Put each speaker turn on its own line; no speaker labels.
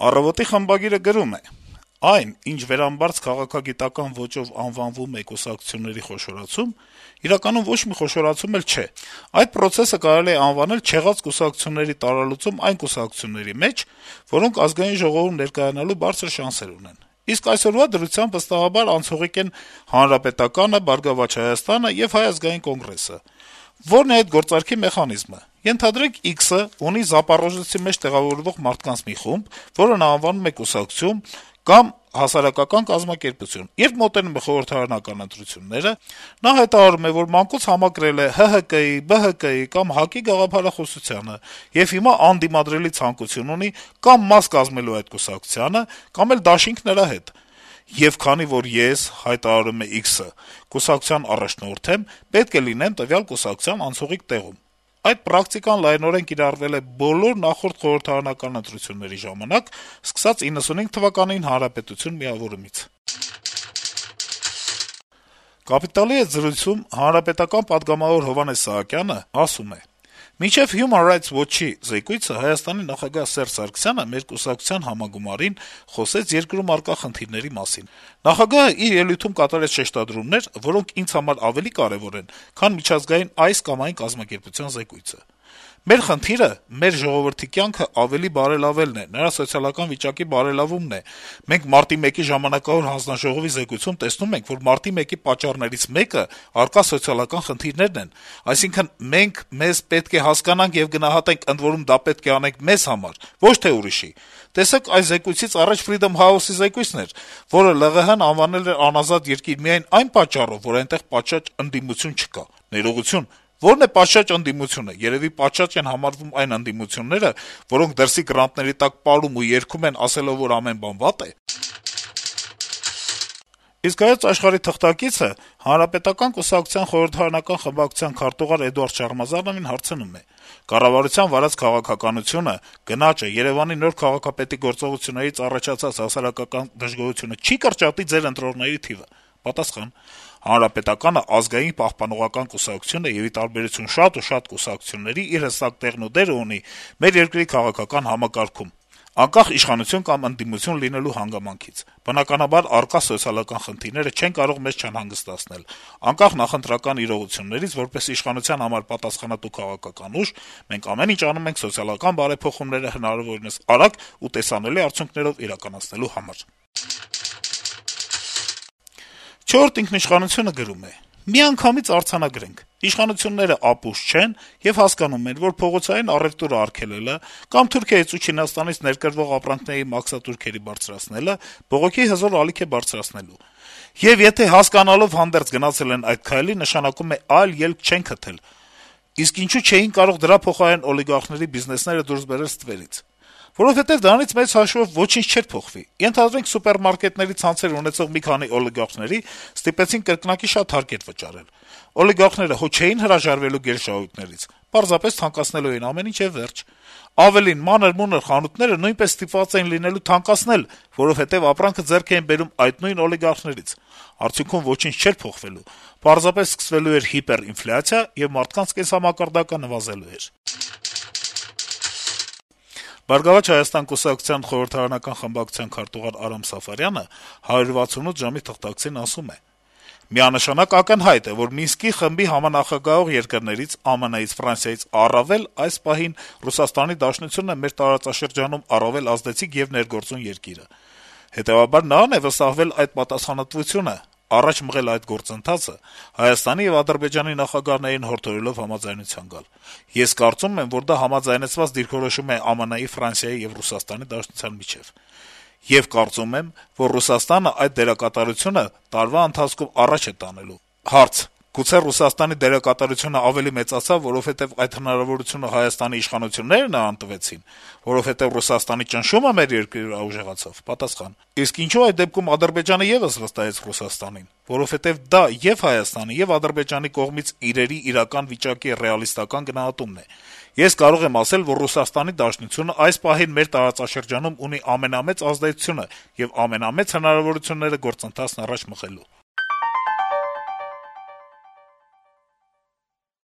«Առավոտ»-ի խմբագիրը գրում է. - «Այն, ինչ վերամբարձ քաղաքագիտական ոճով անվանվում է կուսակցությունների խոշորացում, իրականում ոչ մի խոշորացում էլ չէ: Այդ պրոցեսը կարելի է անվանել չեղած կուսակցությունների տարալուծում այն կուսակցությունների մեջ, որոնք Ազգային ժողովում ներկայանալու բարձր շանսեր ունեն: Իսկ այսօրվա դրությամբ վստահաբար անցողիկ են Հանրապետականը, «Բարգավաճ Հայաստանը» եւ Հայ ազգային կոնգրեսը: Ո՞րն է այդ գործարքի մեխանիզմը: Ենթադրենք X-ը ունի Զապարոժեցի մեջ տեղավորվող մարդկանց մի խումբ, որը նա անվանում է կուսակցություն կամ հասարակական կազմակերպություն: Երբ մոտենում են խորհրդարանական ընտրությունները, նա հայտարարում է, որ մանկուց համակրել է ՀՀԿ-ի, ԲՀԿ-ի կամ ՀԱԿ-ի գաղափարախոսությանը եւ հիմա անդիմադրելի ցանկություն ունի կամ մաս կազմելու այդ կուսակցությանը, կամ էլ դաշինք նրա հետ: Եվ քանի որ ես, հայտարարում է X-ը, կուսակցության առաջնորդ եմ, պետք է լինեմ տվյալ կուսակցության անցողիկ տեղում: Այդ պրակտիկան լայնորեն կիրառվել է բոլոր նախորդ խորհրդարանական ընտրությունների ժամանակ, սկսած 1995 թվականին Հանրապետություն միավորումից»: «Կապիտալ»-ի հետ զրույցում Հանրապետական պատգամավոր Հովհաննես Սահակյանը ասում է. - «Մինչեւ Human Rights Watch-ի զեկույցը Հայաստանի նախագահ Սերժ Սարգսյանը մեր կուսակցության համագումարին խոսեց երկրում առկա խնդիրների մասին: Նախագահը իր ելույթում կատարեց շեշտադրումներ, որոնք ինձ համար ավելի կարեւոր են, քան միջազգային այս կամ այն կազմակերպության զեկույցը: Մեր խնդիրը մեր ժողովրդի կյանքը ավելի բարելավելն է, նրա սոցիալական վիճակի բարելավումն է: Մենք Մարտի 1-ի ժամանակավոր հանձնաժողովի զեկույցում տեսնում ենք, որ Մարտի 1-ի պատճառներից մեկը առկա սոցիալական խնդիրներն են: Այսինքն մենք մեզ պետք է հասկանանք եւ գնահատենք, ընդ որում դա պետք է անենք մեզ համար, ոչ թե ուրիշի: Տեսեք, այս զեկույցից առաջ Freedom House-ի զեկույցն էր, որը ԼՂՀ-ն անվանել էր անազատ երկիր միայն այն պատճառով, որ այնտեղ պատշաճ ընդդիմություն չկա: Ներողություն, ո՞րն է պատշաճ ընդդիմությունը: Երեւի պատշաճ են համարվում այն ընդդիմությունները, որոնք դրսի գրանտների տակ պարում ու երգում են, ասելով, որ ամեն բան վատ է»: Իսկ «Հայոց Աշխարհ»-ի թղթակիցը Հանրապետական կուսակցության խորհրդարանական խմբակցության քարտուղար Էդուարդ Շարմազանովին հարցնում է. - «Կառավարության վարած քաղաքականությունը, գնաճը, Երեւանի նոր քաղաքապետի գործողություններից առաջացած հասարակական դժգոհությունը չի՞ կրճատի ձեր ընտրողների թիվը»: Պատասխան. - «Հանրապետականը ազգային պահպանողական կուսակցություն է եւ, ի տարբերություն շատ ու շատ կուսակցությունների, իր հստակ տեղն ու դերը ունի մեր երկրի քաղաքական համակարգում, անկախ իշխանություն կամ ընդդիմություն լինելու հանգամանքից: Բնականաբար, առկա սոցիալական խնդիրները չեն կարող մեզ չանհանգստացնել: Անկախ նախընտրական իրողություններից, որպես իշխանության համար պատասխանատու քաղաքական ուժ, մենք ամեն ինչ անում ենք սոցիալական բարեփոխումները հնարավորինս արագ ու տեսանելի արդյունքներով իրականացնելու համար»: «Չորրորդ ինքնիշխանություն»-ը գրում է. - «Միանգամից արձանագրենք. իշխանությունները ապուշ չեն եւ հասկանում են, որ փողոցային առեւտուրը արգելելը կամ Թուրքիայից ու Չինաստանից ներկրվող ապրանքների մաքսատուրքերի բարձրացնելը բողոքի հզոր ալիք է բարձրացնելու: Եվ եթե հասկանալով հանդերձ գնացել են այդ քայլի, նշանակում է այլ ելք չեն գտել: Իսկ ինչու չէին կարող դրա փոխարեն օլիգարխների բիզնեսները դուրս բերել ստվերից: Որովհետեւ դրանից մեծ հաշվով ոչինչ չէր փոխվի: Ենթադրենք, սուպերմարկետների ցանցեր ունեցող մի քանի օլիգարխների ստիպեցին կրկնակի շատ հարկեր վճարել: Օլիգարխները հո չէին հրաժարվելու գերշահույթներից, պարզապես թանկացնելու էին ամեն ինչ եւ վերջ: Ավելին, մանր-մունր խանութները նույնպես ստիպված էին լինելու թանկացնել, որովհետեւ ապրանքը ձեռք էին բերում այդ նույն օլիգարխներից: Արդյունքում ոչինչ չէր փոխվելու, պարզապես սկսվելու էր հիպերինֆլյացիա, եւ մարդկանց կենսամակարդակը նվազելու էր»: «Բարգավաճ Հայաստան» կուսակցության խորհրդարանական խմբակցության քարտուղար Արամ Սաֆարյանը «168 ժամ»-ի թղթակցին ասում է. - «Միանշանակ ակնհայտ է, որ Մինսկի խմբի համանախագահող երկրներից՝ ԱՄՆ-ից, Ֆրանսիայից առավել այս պահին Ռուսաստանի Դաշնությունն է մեր տարածաշրջանում առավել ազդեցիկ եւ ներգործուն երկիրը: Հետեւաբար նրան է վստահվել այդ պատասխանատվությունը՝ առաջ մղել այդ գործընթացը, Հայաստանի եւ Ադրբեջանի նախագահներին հորդորելով համաձայնության գալ: Ես կարծում եմ, որ դա համաձայնեցված դիրքորոշում է ԱՄՆ-ի, Ֆրանսիայի եւ Ռուսաստանի Դաշնության միջեւ: Եվ կարծում եմ, որ Ռուսաստանը այդ դերակատարությունը տարվա ընթացքում առաջ է տանելու»: Հարց. - «Գուցե Ռուսաստանի դերակատարությունը ավելի մեծացավ, որովհետեւ այդ հնարավորությունը Հայաստանի իշխանությունները նրան տվեցին: Որովհետեւ Ռուսաստանի ճնշումը մեր երկրի վրա ուժեղացավ»: Պատասխան. - «Իսկ ինչո՞ւ այդ դեպքում Ադրբեջանը եւս վստահեց Ռուսաստանին: Որովհետեւ դա ե'ւ Հայաստանի, ե'ւ Ադրբեջանի կողմից իրերի իրական վիճակի ռեալիստական գնահատումն է: Ես կարող եմ ասել, որ Ռուսաստանի Դաշնությունն այս պահին մեր տարածաշրջանում ունի ամենամեծ ազդեցությունը եւ ամենամեծ հնարավորությունները գործընթացն առաջ մղելու»: